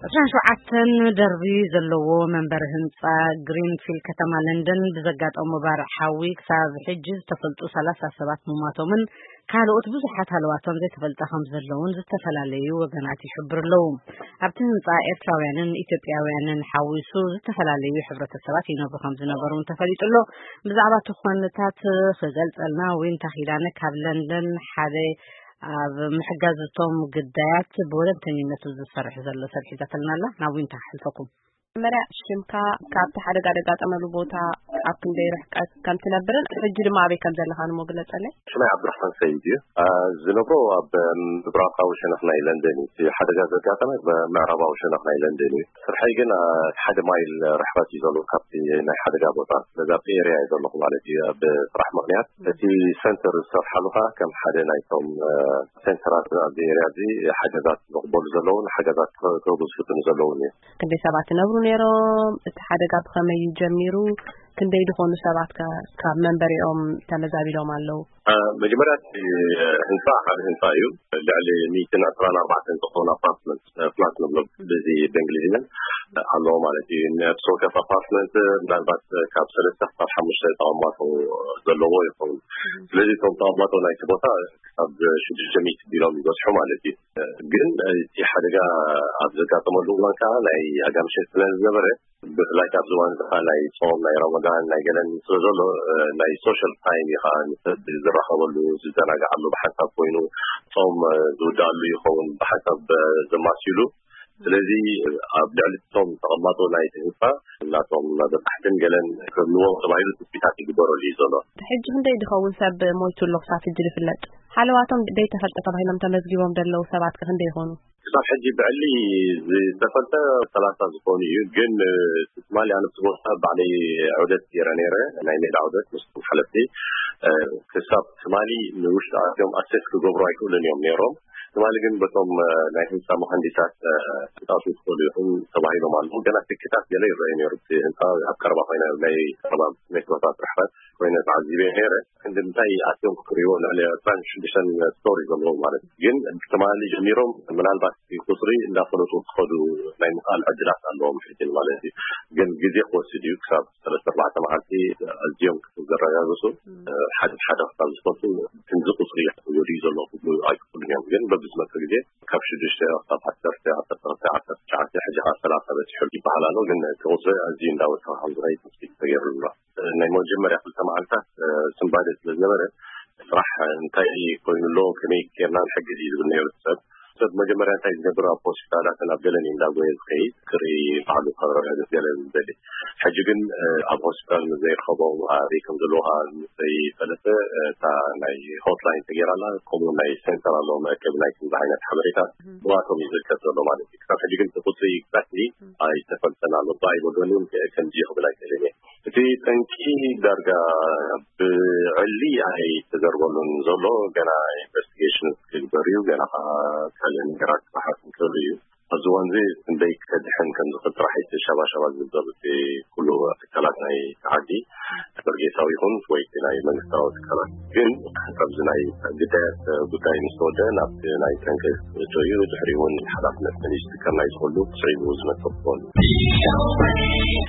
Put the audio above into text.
ዕስራን ሸውዓተን ደርቢ ዘለዎ መንበሪ ህንጻ ግሪንፊልድ ከተማ ለንደን ብዘጋጠሞ ባርዕ ሓዊ ክሳብ ሕጂ ዝተፈልጡ ሰላሳ ሰባት ምሟቶምን ካልኦት ብዙሓት ሃለዋቶም ዘይተፈልጠ ከም ዘለውን ዝተፈላለዩ ወገናት ይሕብሩ ኣለዉ። ኣብቲ ህንጻ ኤርትራውያንን ኢትዮጵያውያንን ሓዊሱ ዝተፈላለዩ ሕብረተሰባት ይነብሩ ከም ዝነበሩ እውን ተፈሊጡ ኣሎ። ብዛዕባ እቲ ኩነታት ክገልጸልና ዊንታ ኪዳነ ካብ ለንደን ሓደ ኣብ ምሕጋዝ እቶም ግዳያት ብወለንተኝነቱ ዝሰርሕ ዘሎ ሰብ ሒዛትልና ኣላ። ናብ ዊንታ ክሕልፈኩም። መጀመርያ ሽምካ፣ ካብቲ ሓደጋ ደጋጠመሉ ቦታ ኣብ ክንደይ ርሕቀት ከም ትነብርን ሕጂ ድማ ኣበይ ከም ዘለኻን እሞ ግለጸለይ። ሽመይ ዓብዱራሕማን ሰይድ እዩ። አ፣ ዝነብሮ ኣብ ምብራቓዊ ሸነኽ ናይ ለንደን እዩ። እቲ ሓደጋ ዘጋጠመ ብምዕራባዊ ሸነኽ ናይ ለንደን እዩ። ስርሐይ ግን፣ አ፣ ሓደ ማይል ርሕቀት እዩ ዘሎ ካብቲ ናይ ሓደጋ ቦታ። ስለዚ ኣብቲ ኤርያ እየ ዘለኹ ማለት እዩ። ኣብ ስራሕ ምኽንያት እቲ ሰንተር ዝሰርሓሉ ኸዓ ከም ሓደ ናይቶም፣ አ፣ ሴንተራት ኣብዚ ኤርያ እዚ ሓገዛት ዝቕበሉ ዘለውን ሓገዛት ክህቡ ዝፍትኑ ዘለውን እዩ። ክንደይ ሰባት ይነብሩ ነይሮም? እቲ ሓደጋ ብኸመይ እዩ ጀሚሩ? ክንደይ ዝኾኑ ሰባት ከ ካብ መንበሪኦም ተመዛቢሎም ኣለዉ? አ፣ መጀመርያ እቲ ህንፃ ሓደ ህንፃ እዩ። ልዕሊ ሚእትን ዕስራን ኣርባዕተን ዝኾኑ ኣፓርትመንት፣ ፍላት ንብሎ በዚ በእንግሊዝኛ፣ ኣለዎ ማለት እዩ። ሶከፍ ኣፓርትመንት ምናልባት ካብ ሰለስተ ክሳብ ሓሙሽተ ተቐማጦ ዘለዎ ይኸውን። ስለዚ እቶም ተቐማጦ ናይቲ ቦታ ክሳብ ሽዱሽተ ሚእቲ ቢሎም ይበፅሑ ማለት እዩ። ግን እቲ ሓደጋ ኣብ ዘጋጠመሉ እዋን ከዓ ናይ ኣጋምሸት ስለ ዝነበረ፣ ብፍላይ ኣብዚ እዋን እዚ ከዓ ናይ ፆም፣ ናይ ረመዳን፣ ናይ ገለን ስለ ዘሎ፣ እ፣ ናይ ሶሻል ታይም እዩ ከዓ ንሰብ ዝራኸበሉ፣ ዝዘናግዓሉ፣ ብሓንሳብ ኮይኑ ፆም፣ እ፣ ዝውድኣሉ ይኸውን፣ ብሓንሳብ፣ እ፣ ዘማስይሉ። ስለዚ ኣብ ልዕሊ እቶም ተቐማጦ ናይቲ ህንፃ ናቶም በጻሕትን ገለን ክህልዎም ተባሂሉ ትፅቢታት ይግበረሉ እዩ ዘሎ። ሕጂ ክንደይ ዝኸውን ሰብ ሞይቱ ኣሎ ክሳብ ሕጂ ዝፍለጥ? ሃለዋቶም ዘይተፈልጠ ተባሂሎም ተመዝጊቦም ዘለዉ ሰባት ከ ክንደይ ይኾኑ? ክሳብ ሕጂ ብዕሊ ዝተፈልጠ ሰላሳ ዝኾኑ እዩ። ግን፣ እ፣ ትማሊ ኣነ ኣብቲ ቦታ ባዕለይ ዑደት ገይረ ነይረ፣ ናይ ሜዳ ዑደት ምስቶም ሓለፍቲ። እ፣ ክሳብ ትማሊ ንውሽጢ ኣትዮም ኣሴስ ክገብሩ ኣይክእሉን እዮም ነይሮም። ትማሊ ግን በቶም፣ እ፣ ናይ ህንፃ መሃንዲሳት፣ እ፣ ክትኣትዉ ትኽእሉ ኢኹም ተባሂሎም ኣለዉ። ገና ትክታት ገለ ይረኣዩ ነይሩ። እቲ ህንፃ ኣብ ቀረባ ኮይና፣ ናይ ቀረባ ሜትሮታት ርሕቀት ኮይነ ተዓዚበ ነይረ። ክንዲ እንታይ ኣትዮም ክርእይዎ፣ ልዕሊ ዕስራን ሽዱሽተን ስቶሪ ዘለዎ ማለት እዩ። ግን ትማሊ ጀሚሮም ምናልባት እቲ ቁፅሪ እንዳፈለጡ ክኸዱ ናይ ምኽኣል ዕድላት ኣለዎም ሕጂ ማለት እዩ። ግን ግዜ ክወስድ እዩ። ክሳብ ሰለስተ ኣርባዕተ መዓልቲ ኣዝዮም ክዘረጋግፁ፣ ሓደ ሓደ ክሳብ ዝፈልጡ ክንዚ ቁፅሪ ወዲኡ ዘሎ ክብሉ ኣይክእሉን እዮም። ግን በብዝመፀ ግዜ ካብ ሽዱሽተ ክሳብ ዓሰርተ፣ ዓሰርተ ክልተ፣ ዓሰርተ ትሽዓተ፣ ሕጂ ከዓ ሰላሳ በፂሑ ይበሃል ኣሎ። ግን እቲ ቁፅሪ ኣዝዩ እንዳወሰኸ ከም ዝኸይድ ትፅቢት ተገይሩሉ ኣሎ። ናይ መጀመርያ ክልተ መዓልታት፣ እ፣ ስንባደ ስለ ዝነበረ፣ ስራሕ እንታይ ኮይኑ ኣሎ፣ ከመይ ጌርና ንሕግዝ እዩ ዝብል ነይሩ ሰብ። ሰብ መጀመርያ እንታይ ዝገብር፣ ኣብ ሆስፒታላትን ኣብ ገለን እዩ እንዳጎየ ዝኸይድ፣ ክርኢ፣ ባዕሉ ከረጋግጽ ገለ ዝደሊ። ሕጂ ግን፣ እ፣ ኣብ ሆስፒታል ምስ ዘይረኸቦም፣ ኣበይ ከም ዘለዉ ከዓ ምስ ዘይፈለጠ፣ እ፣ እታ ናይ ሆትላይን ተገይራላ፣ ከምኡ ናይ ሴንተር ኣለዎ፣ መእከቢ ናይ ከምዚ ዓይነት ሓበሬታ፣ እም። ብኣቶም እዩ ዝርከብ ዘሎ ማለት እዩ። ክሳብ ሕጂ ግን እቲ ቁጽሪ ኤግዛክትሊ እም። ኣይተፈልጠን ኣሎ። እባ ኣይበልዎን እዮም፣ ከ-፣ ከምዚ እዩ ክብል ኣይክእልን እየ። እቲ ጠንቂ ዳርጋ ብዕሊ ኣይተዘርበሉን ዘሎ፣ ገና ኢንቨስቲጌሽን ክግበር እዩ፣ ገና ከዓ ካልእ ነገራት ክበሓት እንከሎ እዩ። ኣብዚ እዋን እዚ ክንደይ ከድሕን ከም ዝኽእል ጥራሕ እቲ ሸባሸባ ዝብል ዘሎ እቲ ኩሉ ትካላት ናይ ዓዲ፣ በርጌሳዊ ይኹን ወይ ናይ መንግስታዊ ትካላት። ግን ኣብዚ ናይ ግዳያት ጉዳይ ምስ ተወደአ ናብቲ ናይ ጠንቂ ክእቶ እዩ። ድሕሪ እውን ሓላፍነት መን እዩ ዝትከል ናይ ዝኽእሉ ስዒቡ ዝመጽእ ክኸውን እዩ።